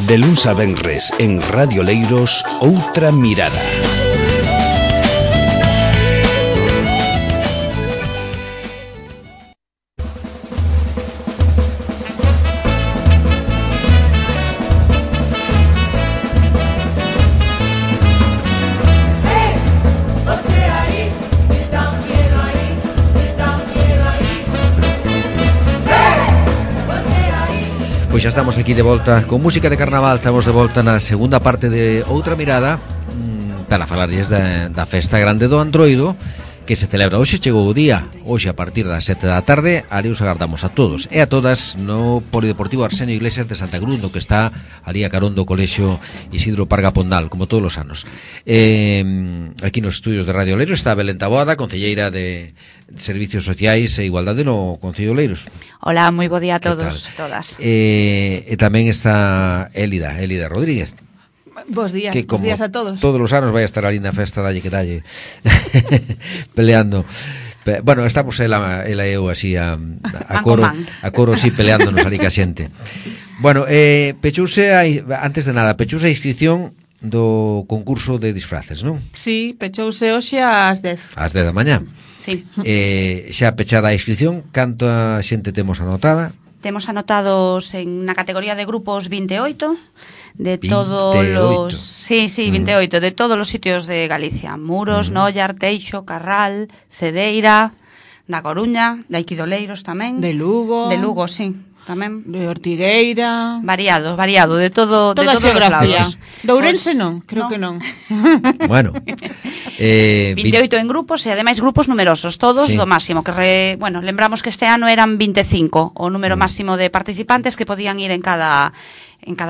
De luns a venres en Radio Leiros, Outra Mirada. Pois xa estamos aquí de volta con música de carnaval. Estamos de volta na segunda parte de Outra Mirada para falarlles da festa grande do Antroido, que se celebra hoxe. Chegou o día, hoxe a partir das 7 da tarde. Ali os agardamos a todos e a todas no Polideportivo Arsenio Iglesias de Santa Cruz, no que está ali a carón do Colexio Isidro Parga Pondal, como todos os anos. Aquí nos estudios de Radio Leiros está Belén Taboada, concelleira de Servicios Sociais e Igualdade no Concello de Leiros. Hola, moi bo día a todos, todas. E tamén está Élida Rodríguez. Bos días, que bos días a todos. Todos os anos vai a estar ali na festa dalle que dalle peleando. Bueno, estamos ela e eu así a coro así peleándonos ali ca xente. Bueno, pechouse antes de nada, pechouse a inscripción do concurso de disfraces, non? Sí, pechouse hoxe ás 10. Ás 10 da mañá. Sí. Xa pechada a inscripción, canta xente temos anotada? Temos anotados na categoría de grupos 28 de 28. todos los 28 de todos os sitios de Galicia: Muros, Noia, Arteixo, Carral, Cedeira, da Coruña, de Aiquidoleiros tamén, De Lugo, sí, tamén de Ortigueira, variado, de todo, toda de todos os xeografía. lados. De Ourense Pois, non, creo que non. Bueno, 28 en grupos e ademais grupos numerosos, todos Sí. do máximo, que lembramos que este ano eran 25 o número máximo de participantes que podían ir en cada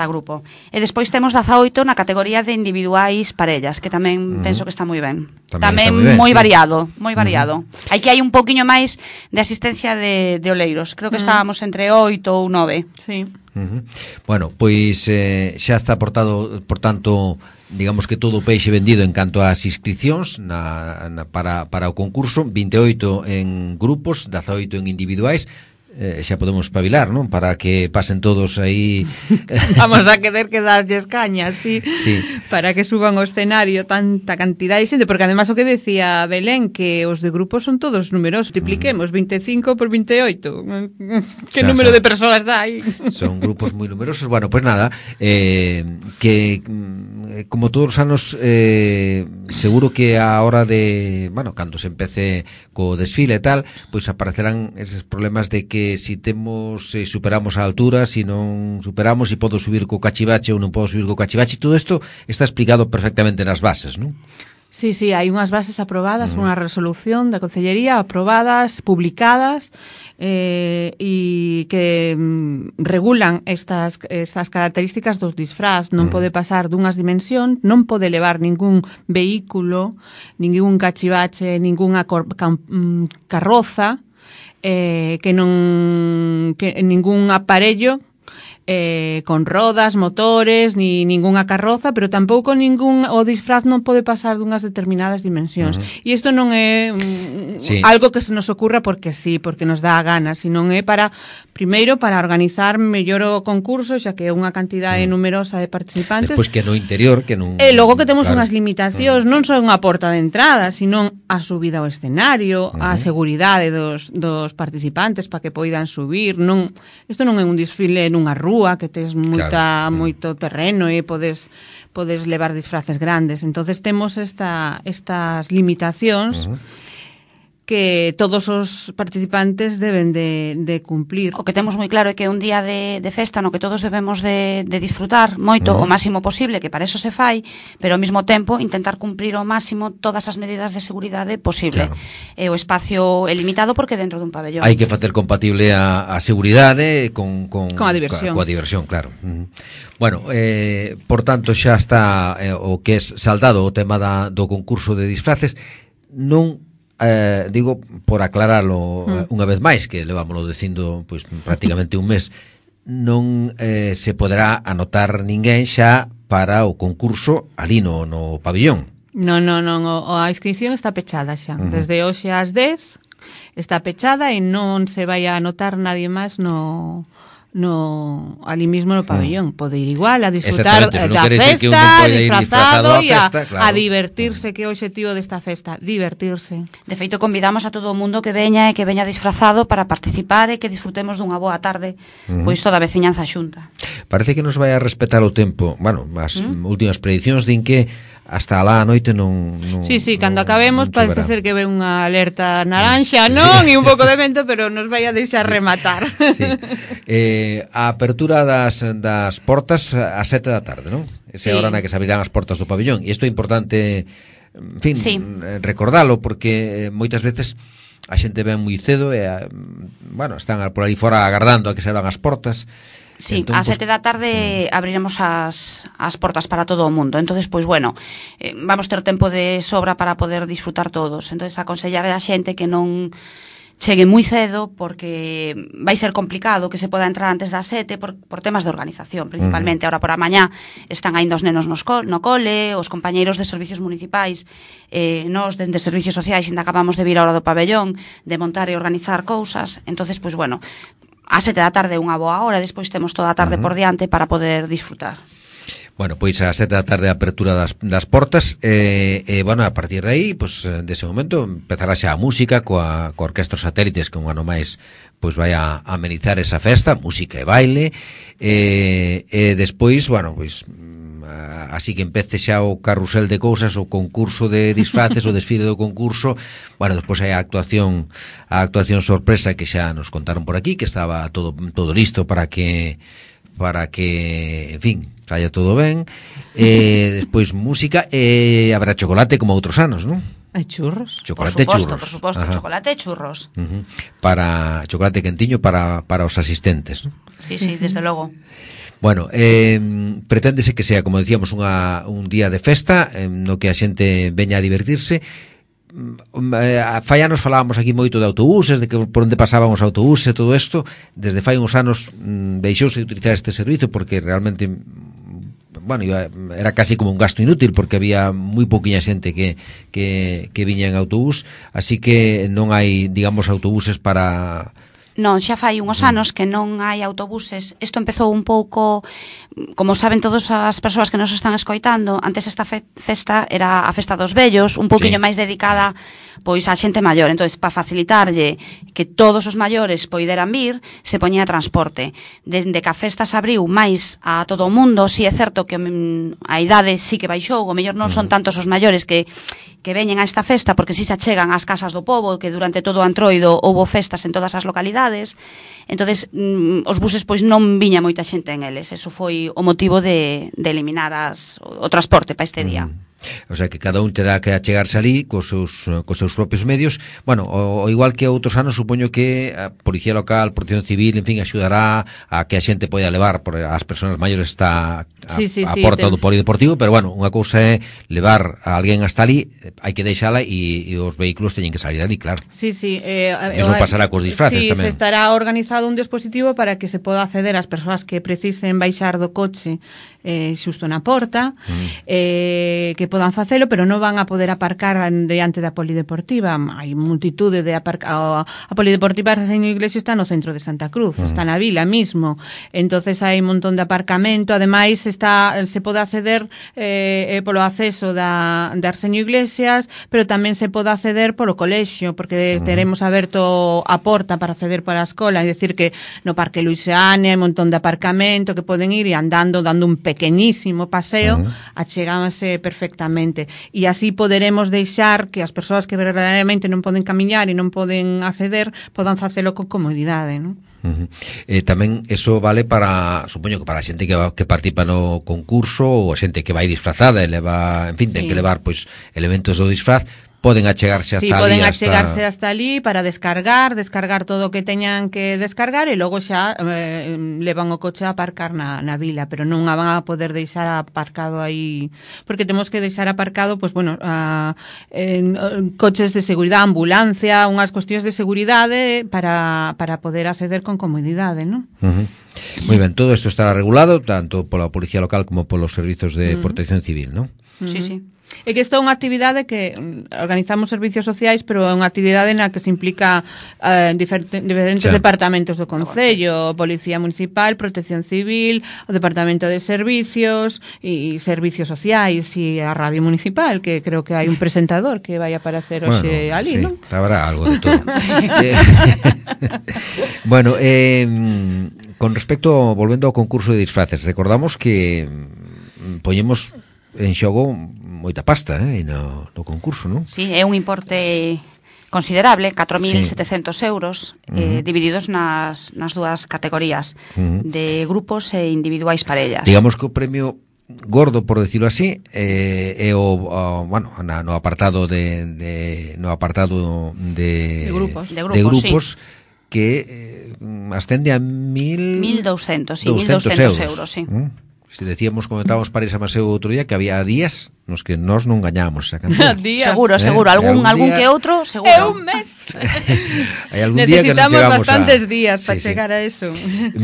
grupo. E despois temos 18 na categoría de individuais parellas, que tamén penso que está moi ben. Tamén está moi moi ben, sí. variado. Aquí hai un poquinho máis de asistencia de oleiros. Creo que estábamos entre 8 ou 9. Sí. Bueno, pois xa está aportado, por tanto, digamos que todo o peixe vendido en canto ás inscripcións para o concurso. 28 en grupos, 18 en individuais. Xa podemos espabilar, non? Para que pasen todos aí. Vamos a querer que darlles cañas, sí. Para que suban ao escenario tanta cantidad de xente, porque además o que decía Belén, que os de grupos son todos numerosos. Multipliquemos 25 por 28. Que número de persoas dá aí? Son grupos moi numerosos. Bueno, pois nada, que como todos os anos, seguro que a hora de, bueno, cando se empece co desfile e tal, pois aparecerán eses problemas de que si superamos a altura, si non superamos, si podo subir co cachivache ou non podo subir co cachivache. Todo isto está explicado perfectamente nas bases, non? Sí, hai unhas bases aprobadas, unha resolución da Concellería aprobadas, publicadas, e que regulan estas características dos disfraz. Non pode pasar dunhas dimensións, non pode levar ningún vehículo, ningún cachivache, ninguna carroza, que ningún aparello con rodas, motores, ni ningunha carroza, pero tampouco o disfraz non pode pasar dunhas determinadas dimensións. E isto non é algo que se nos ocurra porque sí, porque nos dá a gana, sino é primeiro para organizar mellor o concurso, xa que é unha cantidade numerosa de participantes. Despois que no interior, que non... E logo que temos unhas limitacións, non só unha porta de entrada, sino a subida ao escenario, a seguridade dos participantes para que poidan subir. Isto non é un desfile nunha rúa que tes moito terreno e podes levar disfraces grandes. Entonces temos estas limitacións que todos os participantes deben de cumplir. O que temos moi claro é que é un día de festa no que todos debemos de disfrutar moito, o máximo posible, que para eso se fai, pero ao mesmo tempo intentar cumprir ao máximo todas as medidas de seguridade posible. O espacio é limitado porque dentro dun pabellón. Hai que facer compatible a seguridade con a diversión. Coa diversión, claro. Bueno, por tanto xa está o que é saldado o tema do concurso de disfraces. Non digo, por aclararlo unha vez máis, que levámoslo dicindo pois prácticamente un mes, non se poderá anotar ninguén xa para o concurso ali no pabellón. Non, a inscripción está pechada xa. Desde hoxe ás 10 está pechada e non se vai a anotar nadie máis no ali mismo no pabellón. Pode ir igual a disfrutar da festa, disfrazado e a divertirse, que é o objetivo desta festa, divertirse. De feito, convidamos a todo o mundo que veña e que veña disfrazado para participar e que disfrutemos dunha boa tarde, pois toda a veciñanza xunta. Parece que nos vai a respetar o tempo. Bueno, as últimas predicións din que hasta lá a noite non Sí, cando acabemos parece ser que ve unha alerta naranxa, non? E un pouco de vento, pero nos vai a deixar rematar. Sí. A apertura das portas a 7 da tarde, non? Esa é a hora na que se abrirán as portas do pabellón. E isto é importante, en fin, recordalo, porque moitas veces a xente ven moi cedo e, bueno, están por aí fora agardando a que se abran as portas. Sí, entón, a 7 da tarde abriremos as portas para todo o mundo. Entonces, pois bueno, vamos ter tempo de sobra para poder disfrutar todos. Entonces, aconsellar a xente que non chegue moi cedo, porque vai ser complicado que se poda entrar antes das 7 por temas de organización, principalmente. Ahora por a mañá están ainda os nenos no cole, os compañeiros de servicios municipais, nós dende servicios sociais ainda acabamos de vir a hora do pabellón, de montar e organizar cousas. Entonces, pois bueno, a 7 da tarde unha boa hora, despois temos toda a tarde por diante para poder disfrutar. Bueno, pois a 7 da tarde a apertura das portas bueno, a partir de aí, pois dese momento empezará xa a música coa Orquestra Satélites, que un ano máis pois vai a amenizar esa festa, música e baile, e despois, bueno, pois así que empece xa o carrusel de cousas, o concurso de disfraces, o desfile do concurso. Bueno, despois hai a actuación sorpresa que xa nos contaron por aquí, que estaba todo listo para que en fin, saia todo ben. Despois música e habrá chocolate como outros anos, non? Hai churros. Chocolate por churros. suposto, chocolate e churros. Para chocolate quentiño para os asistentes, non? Sí, desde logo. Bueno, preténdese que sea, como decíamos, un día de festa no que a xente veña a divertirse. Fai anos falábamos aquí moito de autobuses, de que por onde pasaban os autobuses e todo isto. Desde fai uns anos deixouse de utilizar este servizo porque realmente, bueno, era casi como un gasto inútil, porque había moi pouquiña xente que viña en autobús, así que non hai, digamos, autobuses para... Non, xa fai uns anos que non hai autobuses. Isto empezou un pouco, como saben todas as persoas que nos están escoitando, antes esta festa era a Festa dos Vellos, un pouquiño máis dedicada pois a xente maior. Entonces, para facilitarlle que todos os maiores poideran vir, se poñía transporte. Dende que a festa se abriu máis a todo o mundo, si é certo que a idade sí que baixou, o mellor non son tantos os maiores que veñen a esta festa, porque si se achegan ás casas do pobo, que durante todo o Antroido houbo festas en todas as localidades. Entonces os buses pois non viña moita xente en eles. Eso foi o motivo de eliminar o transporte para este día. O sea que cada un terá que achegarse ali cos seus propios medios. Bueno, o igual que outros anos, supoño que a Policía Local, Protección Civil, en fin, axudará a que a xente poida levar, porque as persoas maiores está a porta do polideportivo, pero bueno, unha cousa é levar a alguén hasta ali, hai que deixala e os vehículos teñen que salir ali, claro. Sí. Eso pasará cos disfraces tamén. Se estará organizado un dispositivo para que se poda acceder ás persoas que precisen baixar do coche xusto na porta, que podan facelo, pero non van a poder aparcar diante da polideportiva. Hai multitude de a polideportiva de Señor Iglesias está no centro de Santa Cruz, está na vila mismo. Entonces hai un montón de aparcamento, ademais se pode acceder polo acceso da Arsenio Iglesias, pero tamén se pode acceder polo colexio, porque teremos aberto a porta para acceder para a escola, é dicir que no Parque Luisiane hai un montón de aparcamento que poden ir e andando, dando un pequeñísimo paseo, achegámase perfectamente, e así poderemos deixar que as persoas que verdadeiramente non poden camiñar e non poden acceder podan facelo con comodidade, non? Tamén eso vale para, supoño que para a xente que participa no concurso, ou a xente que vai disfrazada e leva, en fin, ten que levar pois elementos do disfraz. Poden achegarse hasta ali. Poden achegarse hasta ali para descargar todo o que teñan que descargar e logo xa levan o coche a aparcar na vila, pero non a van a poder deixar aparcado aí, porque temos que deixar aparcado, pois bueno, coches de seguridade, ambulancia, unhas cuestións de seguridade para poder acceder con comodidade, non? Moi ben, todo isto estará regulado tanto pola Policía Local como polos servizos de Protección Civil, non? Sí. É que isto é unha actividade que organizamos servicios sociais, pero é unha actividade na que se implica diferentes departamentos do Concello, Policía Municipal, Protección Civil, o Departamento de Servicios e Servicios Sociais e a Radio Municipal, que creo que hai un presentador que vai aparecer hoxe ali, non? Habrá algo de todo. Bueno, con respecto, volvendo ao concurso de disfraces, recordamos que poñemos en xogo moita pasta no concurso, non? Sí, é un importe considerable, 4.700 euros, divididos nas dúas categorías de grupos e individuais parellas. Digamos que o premio gordo, por decirlo así, é no apartado de grupos que ascende a 1.200 euros, sí. Se decíamos, comentábamos para esa Maseu outro día que había días nos que nós non gañábamos esa cantidad. Seguro, algún día, que outro, seguro. É un mes. Hai algún día que nos chegamos bastantes días para chegar a eso. 1.200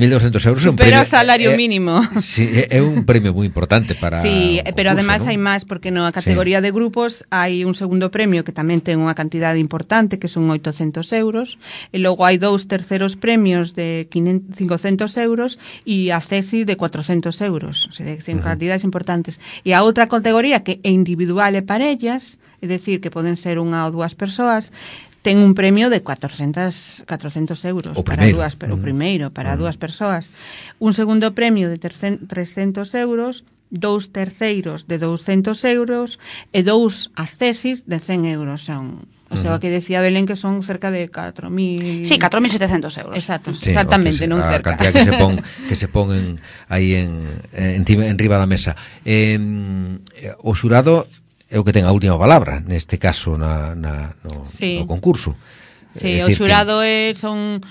euros é un premio. Pero premio, o salario mínimo. Sí, é un premio moi importante para sí, pero concurso, además ¿no? hai máis, porque na categoría de grupos hai un segundo premio que tamén ten unha cantidade importante, que son 800 euros, e logo hai 2 terceros premios de 500 euros e a CESI de 400 euros. O sea, ten cantidades importantes. E a outra categoría que é individual e parellas, é dicir, que poden ser unha ou dúas persoas, ten un premio de 400 euros para dúas persoas. Un segundo premio de 300 euros, 2 terceiros de 200 euros e 2 accesis de 100 euros. O sea, que decía Belén que son cerca de 4.000... Sí, 4.700 euros. Exacto, sí, exactamente, non cerca. A cantidad que se pon aí en riba da mesa. O xurado é o que ten a última palabra, neste caso, no concurso. Sí, o xurado son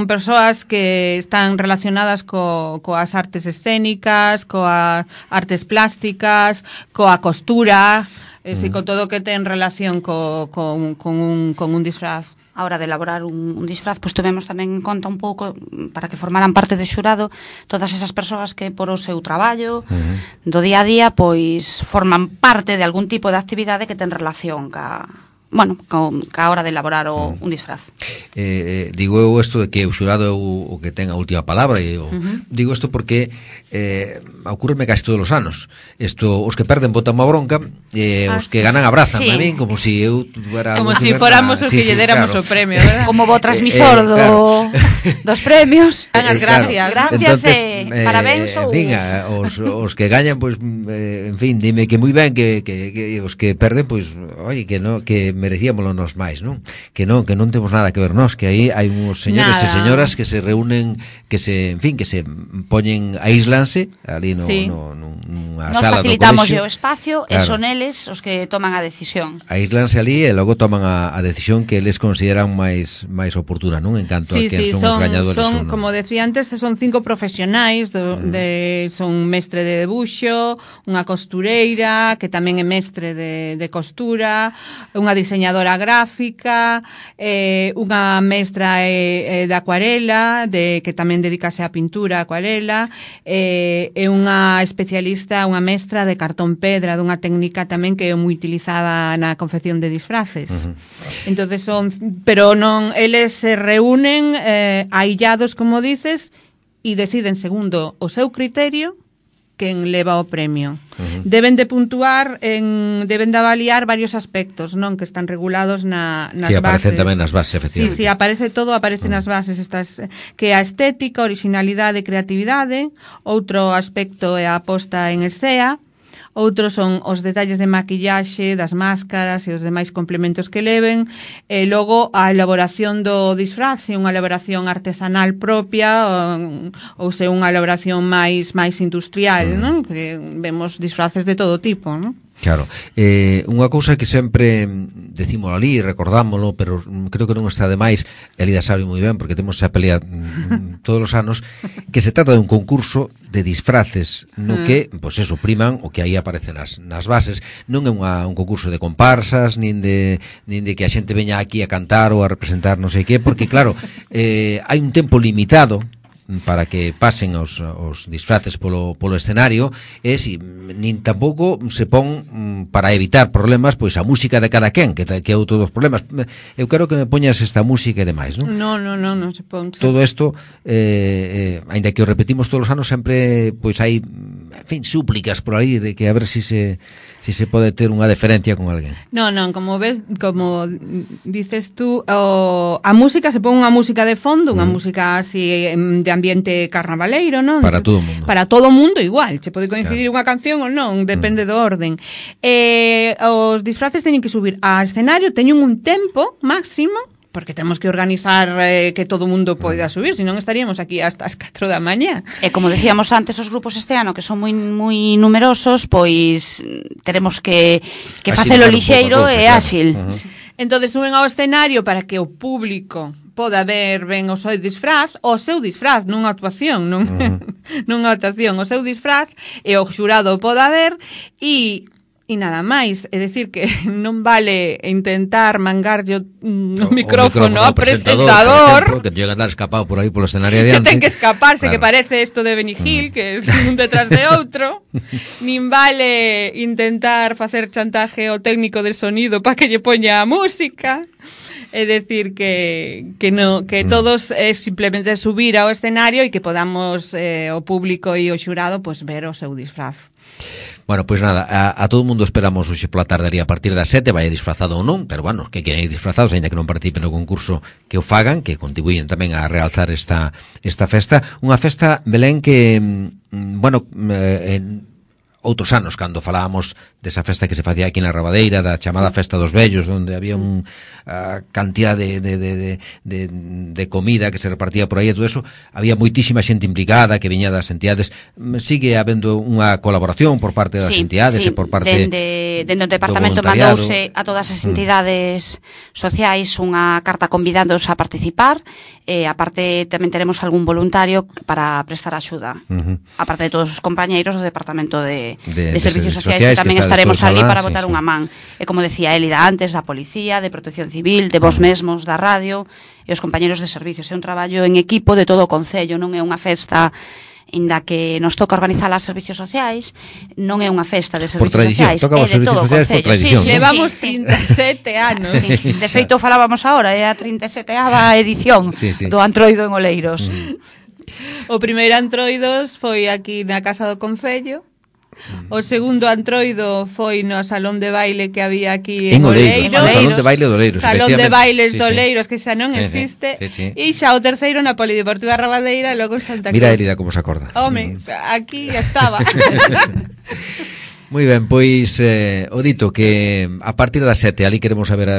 persoas que están relacionadas coas artes escénicas, coas artes plásticas, coa costura... con todo o que ten relación con un disfraz. A hora de elaborar un disfraz, pois tuvemos tamén en conta un pouco para que formaran parte do xurado todas esas persoas que por o seu traballo do día a día pois forman parte de algún tipo de actividade que ten relación ca hora de elaborar un disfraz. Digo eu isto de que o xurado é o que ten a última palabra e digo isto porque ocurreme casi todos os anos. Os que perden botan unha bronca e os que ganan abrazan a min como si eu tuviera como si fóramos os que lle déramos o premio, ¿verdad? Como bo transmisor dos premios. Gracias. Gracias e parabéns. Os que gañan, pois, en fin, dime que moi ben que os que perden, pois, oye, que merecíamoslo nos máis, non? Que non temos nada que ver nós, que aí hai uns señores e señoras que se reúnen, que se poñen, aíslanse ali nunha sala do colexio. Nos facilitamos o espacio e son eles os que toman a decisión. Aíslanse ali e logo toman a decisión que eles consideran máis oportuna, non? En canto a que son os gañadores. Como decía antes, son 5 profesionais, son mestre de debuxo, unha costureira, que tamén é mestre de costura, unha diseñadora gráfica, unha mestra de acuarela, que tamén dedicase á pintura, acuarela, e unha especialista, unha mestra de cartón pedra, dunha técnica tamén que é moi utilizada na confección de disfraces. Entonces pero non, eles se reúnen aillados, como dices, e deciden segundo o seu criterio quen leva o premio. Deben de puntuar, deben de avaliar varios aspectos, non, que están regulados nas bases. Sí, aparecen tamén nas bases, efectivamente. Sí, aparece todo, aparecen nas bases estas, que a estética, originalidade e creatividade. Outro aspecto é a posta en escena. Outros son os detalles de maquillaxe, das máscaras e os demais complementos que leven, e logo a elaboración do disfraz, se unha elaboración artesanal propia ou se unha elaboración máis industrial, non? Que vemos disfraces de todo tipo, non? Claro, unha cousa que sempre decimos ali, recordámoslo, pero creo que non está de máis, Elida sabe moi ben, porque temos esa pelea todos os anos, que se trata de un concurso de disfraces, no que, pois eso, priman o que aí aparece nas bases. Non é un concurso de comparsas, nin de que a xente veña aquí a cantar ou a representar non sei que, porque claro, hai un tempo limitado para que pasen os disfraces polo escenario, e nin tampouco se pon para evitar problemas, pois a música de cada quen, que é outro dos problemas. Eu quero que me poñas esta música e demais, non? Non se pon. Todo isto, aínda que o repetimos todos os anos, sempre pois hai, en fin, súplicas por aí de que a ver si se pode ter unha deferencia con alguén. Non, como ves, como dices tú, a música se pon unha música de fondo, unha música así de ambiente carnavaleiro, non? Para todo o mundo. Para todo o mundo igual, se pode coincidir unha canción ou non, depende do orden. Os disfraces teñen que subir a escenario, teñen un tempo máximo, porque temos que organizar que todo o mundo poida subir, senón estaríamos aquí hasta as 4 da mañá. E como decíamos antes, os grupos este ano que son moi numerosos, pois teremos que facelo lixeiro e áxil. Entonces suben ao escenario para que o público poda ver ben o seu disfraz, o seu disfraz, nunha actuación, nunha actuación, o seu disfraz, e o xurado poda ver, e nada máis, é dicir que non vale intentar mangarlle o micrófono ao presentador, por exemplo, que llega a andar escapado por aí polo escenario adiante, que ten que escaparse, claro. Que parece isto de Benny Hill, que é un detrás de outro. Nin vale intentar facer chantaje ao técnico de sonido para que lle poña a música. É decir que todos simplemente subir ao escenario e que podamos o público e o xurado pues ver o seu disfraz. Bueno, pois nada, a todo o mundo esperamos hoxe pola tardaría a partir das 7, vai disfrazado ou non, pero bueno, que queren ir disfrazados, ainda que non participen no concurso, que o fagan, que contribuyen tamén a realzar esta festa. Unha festa, Belén, que, bueno, outros anos, cando falábamos desa festa que se facía aquí na Rabadeira, da chamada Festa dos Vellos, onde había cantidad de comida que se repartía por aí e todo eso, había moitísima xente implicada que viña das entidades. Sigue habendo unha colaboración por parte das entidades e por parte dende o departamento mandouse a todas as entidades sociais unha carta convidándoos a participar, e aparte tamén teremos algún voluntario para prestar axuda, aparte de todos os compañeiros do departamento de servicios sociais que tamén estaremos ali para botar unha man. E como decía Élida antes, da policía, de protección civil, de vos mesmos, da radio e os compañeros de servicios. É un traballo en equipo de todo o concello, non é unha festa inda que nos toca organizar as servicios sociais, non é unha festa de servicios sociais, é de todo o concello. Levamos 37 anos. De feito, falábamos agora, é a 37ª edición do Antroido en Oleiros. O primeiro Antroidos foi aquí na Casa do Concello. O segundo Antroido foi no salón de baile que había aquí en Oleiros. Salón de baile de Oleiros. Salón de bailes de Oleiros, que xa non existe. E xa o terceiro na Polideportiva Rabadeira e logo en Santa Cruz. Mira, Elida, como se acorda. Home, aquí estaba. Moi ben, pois o dito que a partir das 7 ali queremos ver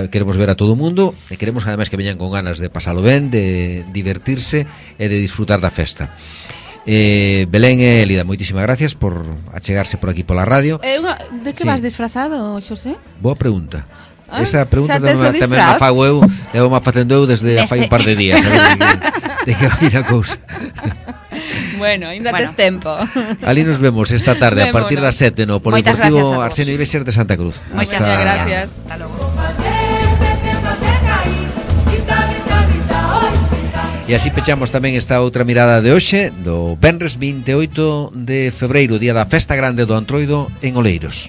a todo o mundo e queremos ademais que veñan con ganas de pasalo ben, de divertirse e de disfrutar da festa. Belén e Elida, moitísimas gracias por achegarse por aquí pola radio. De que vas disfrazado, Xosé? Boa pregunta. Esa pregunta tamén a fago eu, levo má facendo eu desde fai un par de días, de que vai a cousa. Bueno, ainda tes tempo. Ali nos vemos esta tarde a partir das 7 no Polideportivo Arsenio Iglesias de Santa Cruz. Moitas gracias. Hasta logo. E así pechamos tamén esta outra mirada de hoxe, do venres 28 de febreiro, día da Festa Grande do Antroido en Oleiros.